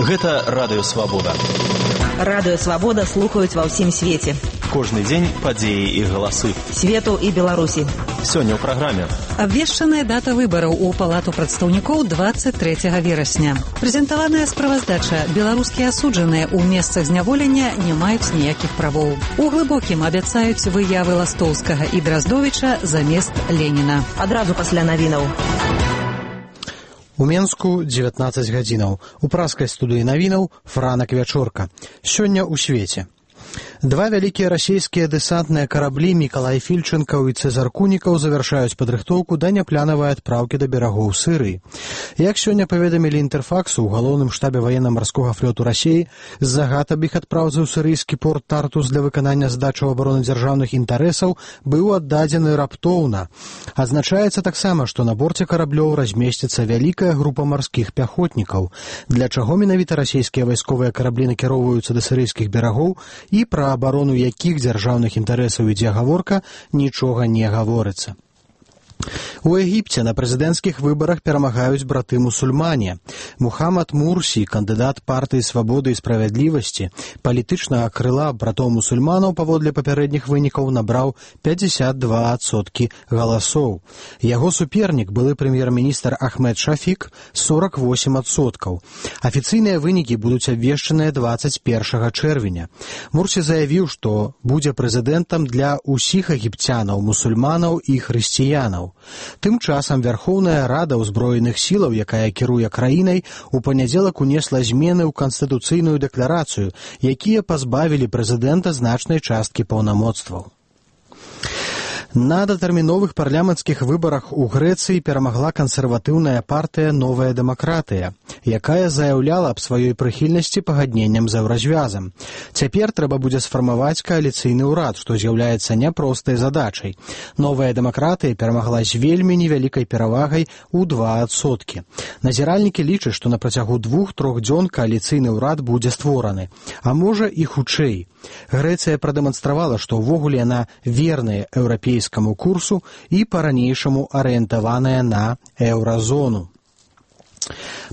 Гэта Радыё Свабода. Радыё Свабода слухаюць ва ўсім свеце. Кожны дзень падзеі і галасы. Свету і Беларусі. Сёння ў праграме. Абвешчаная дата выбараў у Палату прадстаўнікоў 23 верасня. Прэзентаваная справаздача. Беларускія асуджаныя ў месцах зняволення не маюць ніякіх правоў. У Глыбокім абяцаюць выявы Ластоўскага і Драздовіча замест Леніна. Адразу пасля навінаў. У Менску 19 гадзінаў. У праскай студыі навінаў Франак Вячорка. Сёння ў свеце. Два вялікія расійскія дэсантныя караблі Мікалай Фільчэнкаў і Цэзар Кунікаў завяршаюць падрыхтоўку да няпланавай адпраўкі да берагоў Сырыі. Як сёння паведамілі Інтэрфаксу ў галоўным штабе ваенна-марскога флоту Расіі, загад аб іх адпраўцы ў сырыйскі порт Тартус для выканання задачаў абароны дзяржаўных інтарэсаў быў аддадзены раптоўна. Адзначаецца таксама, што на борце караблёў размесціцца вялікая група марскіх пяхотнікаў. Для чаго менавіта расійскія вайсковыя караблі накіроўваюцца да сырыйскіх берагоў і пра абарону якіх дзяржаўных інтарэсаў ідзе гаворка, нічога не гаворыцца. У Егіпце на прэзідэнцкіх выбарах перамагаюць браты-мусульмане. Мухаммад Мурсі, кандыдат партыі «Свабоды і справядлівасці», палітычнага крыла братоў-мусульманаў паводле папярэдніх вынікаў набраў 52% галасоў. Яго супернік, былы прэм'ер-міністр Ахмед Шафік, 48%. Афіцыйныя вынікі будуць абвешчаныя 21 чэрвеня. Мурсі заявіў, што будзе прэзідэнтам для ўсіх егіпцянаў, мусульманаў і хрысціянаў. Тым часам Вярхоўная Рада ўзброеных сілаў, якая кіруе краінай, у панядзелак унесла змены ў канстытуцыйную дэкларацыю, якія пазбавілі прэзідэнта значнай часткі паўнамоцтваў. На датэрміновых парламенцкіх выбарах у Грэцыі перамагла кансерватыўная партыя «Новая дэмакратыя», якая заяўляла аб сваёй прыхільнасці пагадненням з еўразвязам. Цяпер трэба будзе сфармаваць кааліцыйны ўрад, што з'яўляецца няпростай задачай. «Новая дэмакратыя» перамагла з вельмі невялікай перавагай у 2%. Назіральнікі лічаць, што на працягу 2-3 дзён кааліцыйны ўрад будзе створаны, а можа і хутчэй. Грэцыя прадэманстравала, што ўвогуле яна верная еўрапейскаму курсу і па-ранейшаму арыентаваная на еўразону.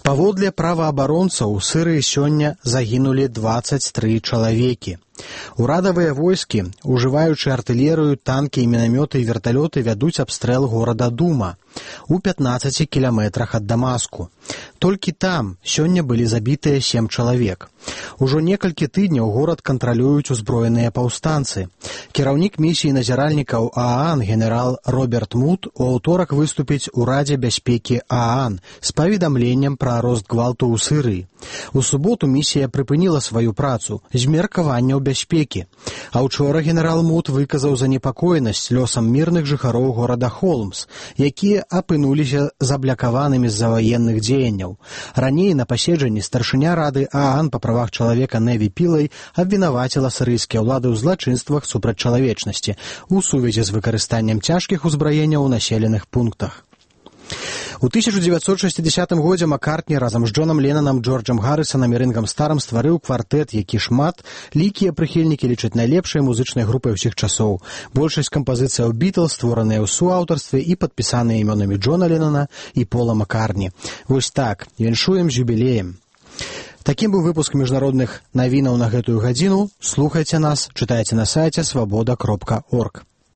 Паводле праваабаронцаў у Сырыі сёння загінулі 23 чалавекі. Урадавыя войскі, ужываючы артылерыю, танкі, мінамёты і верталёты, вядуць абстрэл горада Дума у 15 кіламетрах ад Дамаску. Толькі там сёння былі забітыя 7 чалавек. Ужо некалькі тыдняў горад кантралююць узброеныя паўстанцы. Кіраўнік місіі назіральнікаў ААН генерал Роберт Мут у аўторак выступіць у Радзе бяспекі ААН з паведамленнем пра рост гвалту ў Сырыі. У суботу місія прыпыніла сваю працу з меркаванняў бяспекі. А ўчора генерал Мут выказаў занепакоенасць лёсам мірных жыхароў горада Холмс, якія апынуліся заблякаванымі з-за ваенных дзеянняў. Раней на паседжанні старшыня Рады ААН па правах чалавека Неві Пілай абвінаваціла сырыйскія ўлады ў злачынствах супраць чалавечнасці у сувязі з выкарыстаннем цяжкіх узбраенняў у населеных пунктах. У 1960 годзе Маккартні разам з Джонам Леннанам, Джорджам Гаррысанам і Рынгам Старам стварыў квартэт, які шмат лікія прыхільнікі лічаць найлепшай музычнай групай усіх часоў. Большасць кампазіцыяў Бітлз створаныя ў суаўтарстве і падпісаныя імёнамі Джона Леннана і Пола Маккартні. Вось так, віншуем з юбілеем. Такім быў выпуск міжнародных навінаў на гэтую гадзіну. Слухайце нас, чытайце на сайце свабода.орг.